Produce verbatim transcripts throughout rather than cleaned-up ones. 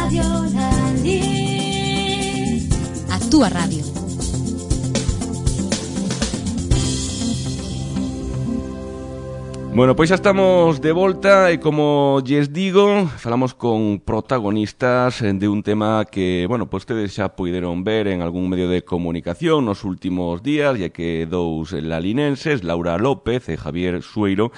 Radio Lalín. A túa radio. Bueno, pois xa estamos de volta e como lles digo, falamos con protagonistas de un tema que, bueno, pois tedes xa puideron ver en algún medio de comunicación nos últimos días, ya que dous lalinenses, Laura López e Javier Sueiro,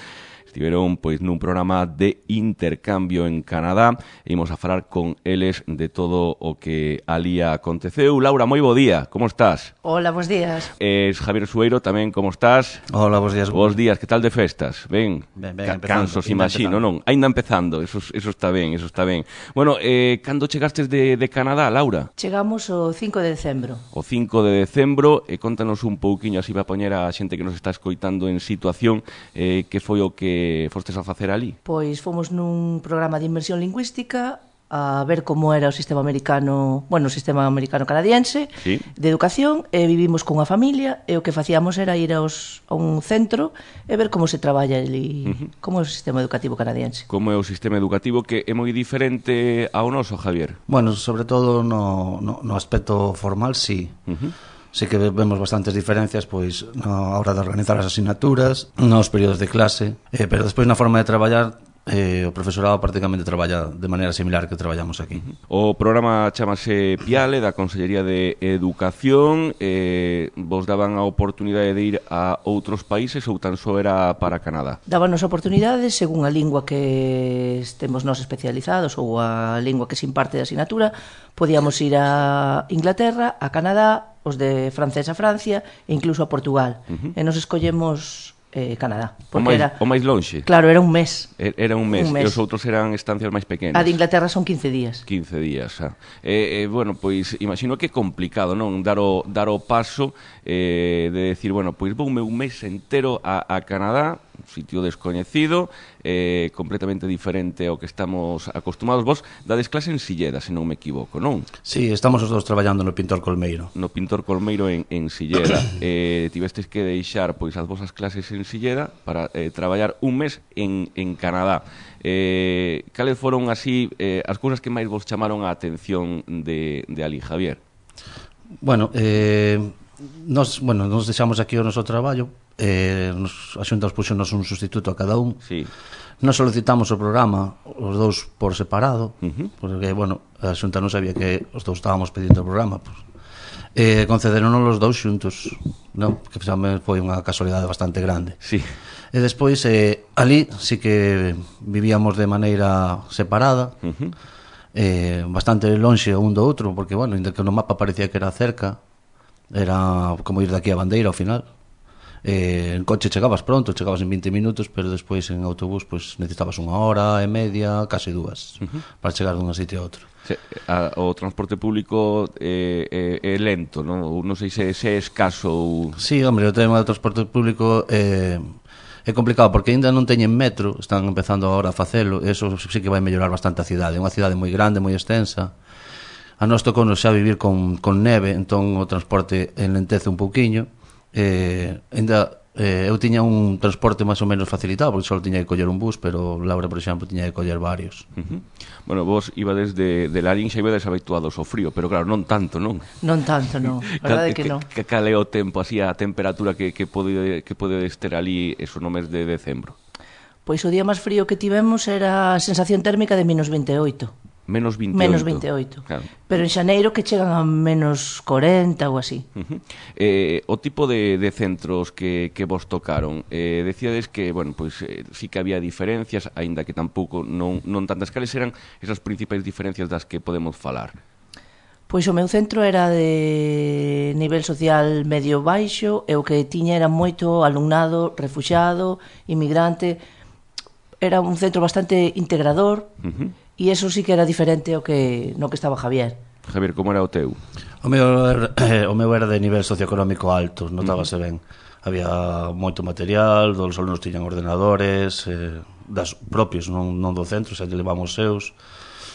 estiveron pois nun programa de intercambio en Canadá e imos a falar con eles de todo o que alí aconteceu. Laura, moi bo día, como estás? Hola, bons días. Es Javier Sueiro tamén, como estás? Hola, bons días. Bos días, que tal de festas? Ben, ben, ben Ca empezando, cansos, imagino, non? Ainda empezando, eso, eso está ben, eso está ben. Bueno, eh, cando chegastes de, de Canadá, Laura? Chegamos o cinco de decembro. O cinco de decembro, e contanos un pouquiño, así va a poñer a xente que nos está escoitando en situación, eh, que foi o que fostes a facer ali? Pois fomos nun programa de inmersión lingüística a ver como era o sistema americano, bueno, o sistema americano-canadiense, sí, de educación, e vivimos con a familia, e o que facíamos era ir aos, a un centro e ver como se traballa ali, uh-huh. como é o sistema educativo canadiense. Como é o sistema educativo, que é moi diferente ao noso, Javier? Bueno, sobre todo no, no, no aspecto formal, sí. Uh-huh. Sí que vemos bastantes diferencias pois na hora de organizar as asignaturas, nos períodos de clase, eh, pero despois na forma de traballar, eh, o profesorado prácticamente traballa de maneira similar que traballamos aquí. O programa chamase Piale, da Consellería de Educación. Eh, vos daban a oportunidade de ir a outros países ou tan só era para Canadá? Dábanos oportunidades según a lingua que estemos nós especializados ou a lingua que se imparte de asignatura. Podíamos ir a Inglaterra, a Canadá, os de francés a Francia e incluso a Portugal. Uh-huh. E nos escollemos eh, Canadá. O máis, era, o máis longe? Claro, era un mes. Era un mes, un mes. E os outros eran estancias máis pequenas? A de Inglaterra son quince días. quince días, xa. E, eh, bueno, pois, imagino que é complicado, non? Dar o, dar o paso eh, de decir, bueno, pois voume un mes entero a, a Canadá, un sitio descoñecido, eh, completamente diferente ao que estamos acostumados. Vos dades clase en Silleda, se non me equivoco, non? Sí, estamos os dous traballando no Pintor Colmeiro. No Pintor Colmeiro en, en Silleda. eh, tivestes que deixar pois as vosas clases en Silleda para eh, traballar un mes en, en Canadá. Eh, cales foron así eh, as cousas que máis vos chamaron a atención de, de ali, Javier? Bueno, eh, nos, bueno, nos deixamos aquí o noso traballo. Eh, nos, a Xunta nos puxonos un sustituto a cada un. Sí. Nos solicitamos o programa os dous por separado, uh-huh. porque, bueno, a Xunta non sabía que os dous estábamos pedindo o programa, pues. eh, concederonos os dous xuntos, non? Que foi unha casualidade bastante grande. Sí. E despois, eh, ali sí que vivíamos de maneira separada, uh-huh. eh, bastante lonxe un do outro, porque, bueno, ainda que no mapa parecía que era cerca, era como ir de aquí a Bandeira ao final. Eh, en coche chegabas pronto, chegabas en vinte minutos, pero despois en autobús pues, necesitabas unha hora e media, case dúas, uh-huh. para chegar dun sitio a outro. Se, a, o transporte público é, é, é lento, non? Non sei se, se é escaso ou... Sí, hombre, o tema do transporte público é, é complicado, porque ainda non teñen metro, están empezando agora a facelo, e eso sí que vai mellorar bastante a cidade. É unha cidade moi grande, moi extensa. A nós tocou xa vivir con, con neve, entón o transporte enlentece un pouquiño. Eh, ainda eh, eu tiña un transporte máis ou menos facilitado, porque só tiña que coller un bus, pero Laura, por exemplo, tiña que coller varios. Uh-huh. Bueno, vos ibades de, de Lalín, xa ibades habituados ao frío, pero claro, non tanto, non? Non tanto, non, a verdade que non. Que cal é o tempo, así, a temperatura que, que, pode, que podedes ter ali eso no mes de decembro? Pois o día máis frío que tivemos era a sensación térmica de menos vinte e oito. Menos vinte e oito. Menos vinte e oito. Claro. Pero en xaneiro que chegan a menos corenta ou así. Uh-huh. Eh, o tipo de, de centros que, que vos tocaron, eh, decíades que, bueno, pois eh, sí que había diferencias, aínda que tampouco non, non tantas. Cales eran esas principais diferencias das que podemos falar? Pois o meu centro era de nivel social medio baixo e o que tiña era moito alumnado, refuxiado, inmigrante. Era un centro bastante integrador. Uh-huh. E iso sí que era diferente ao que no que estaba Javier. Javier, como era o teu? O meu era, eh, o meu era de nivel socioeconómico alto, notábase uh-huh. ben. Había moito material, os alumnos tiñan ordenadores, eh, das propios, non, non do centro, xa levamos seus.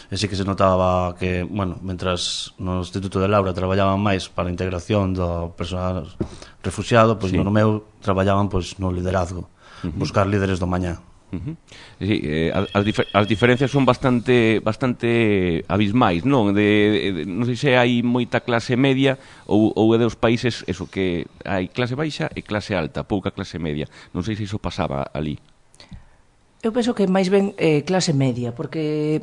E sí que se notaba que, bueno, mentras no Instituto de Laura traballaban máis para a integración do personal refuxiado, pois sí. no meu traballaban pois no liderazgo, uh-huh. buscar líderes do mañá. Uh -huh. Sí, eh, as, difer as diferencias son bastante bastante abismais, non? De, de, non sei se hai moita clase media ou, ou é dos países eso que hai clase baixa e clase alta, pouca clase media. Non sei se iso pasaba ali. Eu penso que máis ben eh, clase media, porque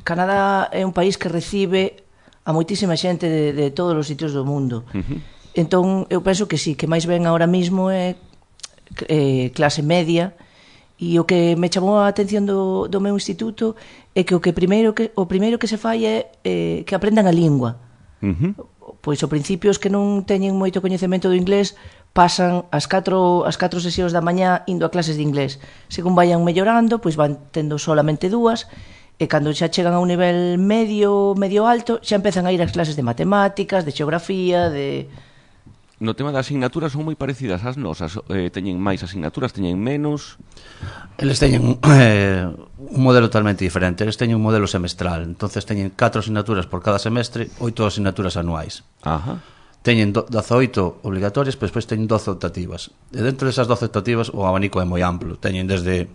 Canadá é un país que recibe a moitísima xente de, de todos os sitios do mundo. Uh -huh. Entón, eu penso que sí, que máis ben ahora mismo é eh, clase media. E o que me chamou a atención do, do meu instituto é que o que primeiro que o primeiro que se fai é eh, que aprendan a lingua. Uh -huh. Pois ao principio os que non teñen moito coñecemento do inglés pasan as catro as catro sesións da mañá indo a clases de inglés. Según vayan mellorando, pois van tendo solamente dúas, e cando xa chegan a un nivel medio, medio alto, xa empezan a ir ás clases de matemáticas, de xeografía, de... No tema das asignaturas son moi parecidas ás nosas, eh, teñen máis asignaturas, teñen menos. Eles teñen eh, un modelo totalmente diferente. Eles teñen un modelo semestral, entonces teñen catro asignaturas por cada semestre, oito asignaturas anuais. Ajá. Teñen dezaoito obligatorias, pero despois teñen doce optativas. E dentro desas doce optativas o abanico é moi amplo. Teñen desde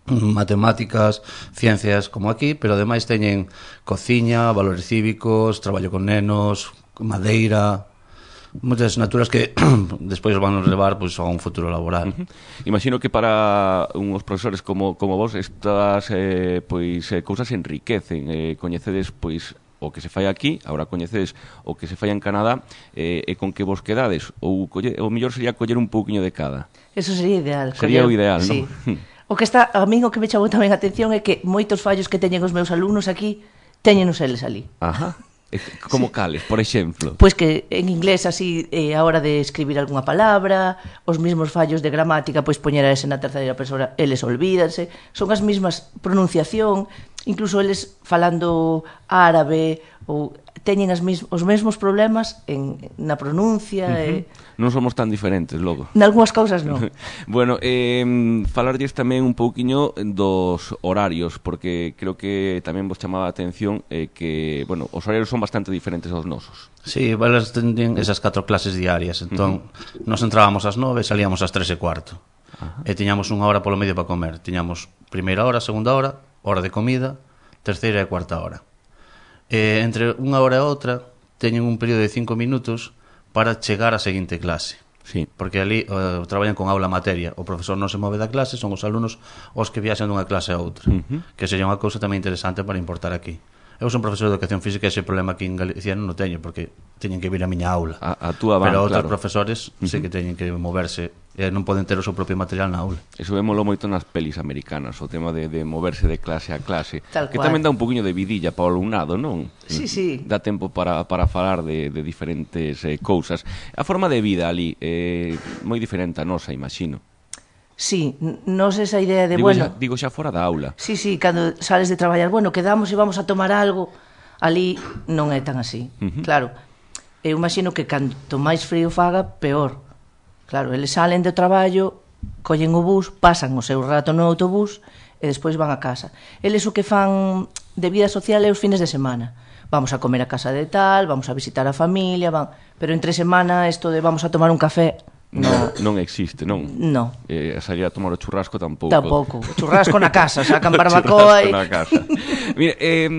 matemáticas, ciencias, como aquí, pero ademais teñen cociña, valores cívicos, traballo con nenos, madeira... moitas asignaturas que despois van a levar pois, a un futuro laboral. Uh-huh. Imagino que para uns profesores como, como vos estas eh, pois, eh, cousas enriquecen, eh, coñecedes pois o que se fai aquí, agora coñecedes o que se fai en Canadá, eh, e con que vos quedades, ou colle, o mellor sería coller un pouquiño de cada. Eso sería ideal. Sería coller... o ideal, sí. non? O que está, a min o que me chamou tamén a atención é que moitos fallos que teñen os meus alumnos aquí teñenos eles ali. Ajá. Como sí. Cales, por exemplo? Pois que en inglés así eh, a hora de escribir algunha palabra, os mesmos fallos de gramática, pois poñer a ese na terceira persoa, eles olvídanse, son as mesmas pronunciación, incluso eles falando árabe ou teñen as mes, os mesmos problemas en, na pronuncia. Uh-huh. e... Non somos tan diferentes, logo. Nalgúas causas non. Bueno, eh, falarlles tamén un pouquiño dos horarios, porque creo que tamén vos chamaba a atención eh, que, bueno, os horarios son bastante diferentes aos nosos. Sí, elas tenían esas catro clases diarias, entón uh-huh. nos entrábamos ás nove e salíamos ás tres e cuarto. Uh-huh. E tiñamos unha hora polo medio para comer. Tiñamos primeira hora, segunda hora, hora de comida, terceira e cuarta hora. E entre unha hora e outra teñen un período de cinco minutos para chegar á seguinte clase. Sí. Porque ali uh, traballan con aula materia. O profesor non se move da clase, son os alumnos os que viaxan dunha clase a outra. Uh-huh. Que sería unha cousa tamén interesante para importar aquí. Eu son profesor de educación física e ese problema aquí en Galicia non o teño, porque teñen que vir a miña aula. A, a túa van, pero outros claro. profesores uh-huh. sí que teñen que moverse e non poden ter o seu propio material na aula. Eso vémolo moito nas pelis americanas, o tema de, de moverse de clase a clase. Tal que cual. tamén dá un poquinho de vidilla para o alumnado, non? Sí, sí. Dá tempo para, para falar de, de diferentes eh, cousas. A forma de vida ali é eh, moi diferente a nosa, imagino. Sí, nos esa idea de, digo bueno... Xa, digo xa fora da aula. Sí, sí, cando sales de traballar, bueno, quedamos e vamos a tomar algo, ali non é tan así. Uh-huh. Claro, eu imagino que canto máis frío faga, peor. Claro, eles salen do traballo, collen o bus, pasan o seu rato no autobús e despois van a casa. Eles o que fan de vida social é os fines de semana. Vamos a comer a casa de tal, vamos a visitar a familia, van... pero entre semana isto de vamos a tomar un café... No, non existe, non? No. Eh, salir a tomar o churrasco tampouco. Tampouco. O churrasco na casa, sacan barbacoa e... na casa. Mira, eh,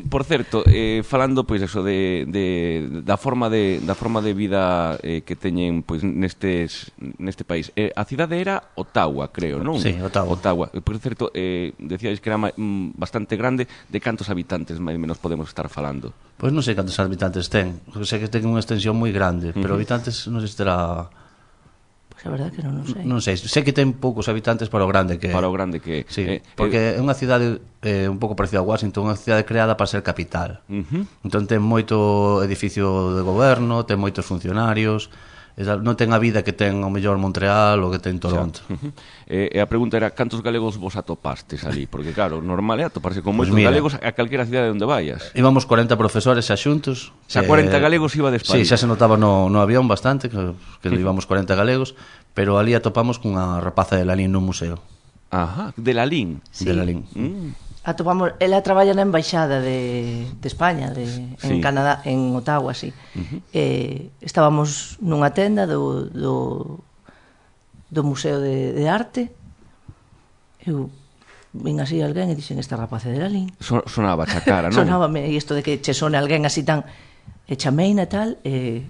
por certo, eh, falando pois eso de, de da forma de da forma de vida eh, que teñen pois nestes neste país. Eh, a cidade era Ottawa, creo, non? Sí, Ottawa. Ottawa. Por certo, eh, decíais que era mm, bastante grande, de cantos habitantes máis ou menos podemos estar falando? Pois non sei cantos habitantes ten. Sei que ten unha extensión moi grande, pero uh-huh. habitantes non sei se terá... A verdade que non, non sei. Non sei, sei que ten poucos habitantes para o grande que é. Para o grande que é. Sí, eh, porque é unha cidade eh, un pouco parecida a Washington, unha cidade creada para ser capital. Uh-huh. Entón ten moito edificio de goberno, ten moitos funcionarios, non ten a vida que ten o mellor Montreal ou que ten Toronto. Uh-huh. E, e a pregunta era, cantos galegos vos atopastes ali? Porque claro, normal é atoparse con moitos pues mira, galegos a calquera cidade onde vayas. Íbamos corenta profesores xa xuntos. Xa corenta eh, galegos iba de España. Sí, xa se notaba no, no avión bastante, que, que íbamos corenta galegos, pero ali atopamos cunha rapaza de Lalín nun museo. Ajá, de Lalín. Sí. De Lalín. Mm. Atopamos, ela traballa na embaixada de, de España, de, en sí. Canadá, en Ottawa, sí. Uh-huh. eh, estábamos nunha tenda do, do, do Museo de, de Arte. Eu vin así alguén e dixen, esta rapaz é de Lalín. So, sonaba xa cara, non? Sonábame isto de que che sone alguén así tan... E chameina e tal, e...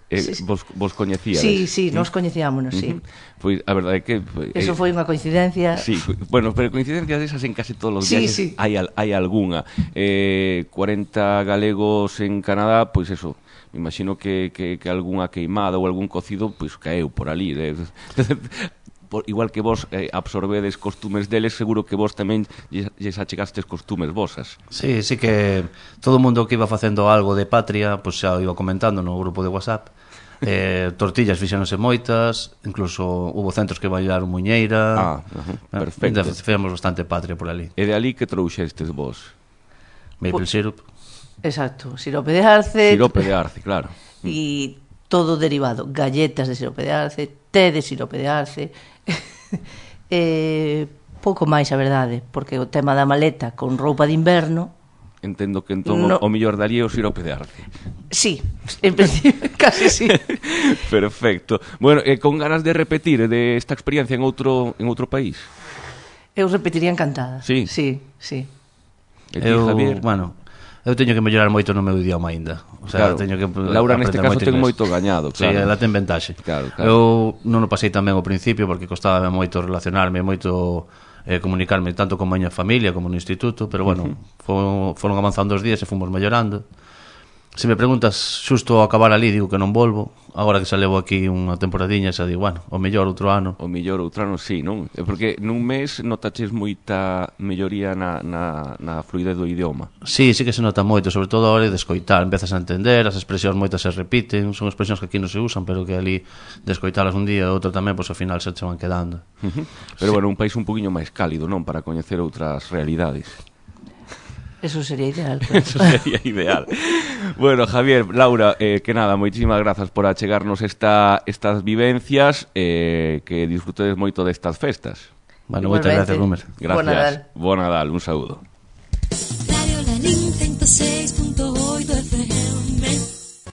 Eh, sí, sí. Vos, vos coñecíades? Sí, sí, nos coñecíámonos, sí. Uh-huh. Pois a verdade é que... Eh, Eso foi unha coincidencia. Sí, bueno, pero coincidencias desas en casi todos os sí, viajes sí. hai, hai algunha. Eh, cuarenta galegos en Canadá, pois eso, me imagino que, que, que algunha queimada ou algún cocido, pois caeu por ali. Eh. Por, igual que vos eh, absorbedes costumes deles, seguro que vos tamén lles achegastes costumes vosas. Sí, sí que todo o mundo que iba facendo algo de patria, pois xa iba comentando no grupo de WhatsApp. Eh, tortillas fixéronse moitas, incluso hubo centros que bailaron muñeira. Ah, uh-huh, perfecto. Fixemos bastante patria por ali. E de ali que trouxestes vos? Maple syrup. Exacto, sirope de arce. Sirope de arce, claro. E todo derivado, galletas de sirope de arce, té de sirope de arce. eh, pouco máis, a verdade, porque o tema da maleta con roupa de inverno. Entendo que entón no. o mellor daría o sirope de arce. Sí, en principio, casi sí. Perfecto. Bueno, eh, con ganas de repetir de esta experiencia en outro en outro país? Eu repetiría encantada. Sí. Sí, sí. E ti, eu, Javier? Bueno, eu teño que mellorar moito no meu idioma aínda. O sea, claro. teño que Laura neste caso ten moito gañado, claro. Sí, ela ten ventaxe. Claro, claro. Eu non o pasei tan ben ao principio porque costaba moito relacionarme, moito eh, comunicarme tanto con a miña familia como no instituto, pero bueno, uh-huh. foron avanzando os días e fomos mellorando. Se me preguntas xusto ao acabar ali, digo que non volvo. Agora que xa levo aquí unha temporadiña, xa digo, bueno, o mellor outro ano. O mellor outro ano, sí, non? Porque nun mes notaches moita melloría na, na, na fluidez do idioma. Sí, sí que se nota moito, sobre todo a hora de escoitar. Empezas a entender, as expresións moitas se repiten, son expresións que aquí non se usan, pero que ali de escoitalas un día e outro tamén, pois ao final se che van quedando. Uh-huh. Pero sí. Bueno, un país un poquinho máis cálido, non? Para coñecer outras realidades. Eso sería ideal. Claro. Eso sería ideal. Bueno, Javier, Laura, eh, que nada, moitísimas grazas por achegarnos esta, estas vivencias, eh, que disfrutedes moito destas festas. Bueno, moitas gracias, Rumer. Gracias. Bon Nadal. Bon Nadal, un saúdo. Radio Lalín ciento seis punto oito F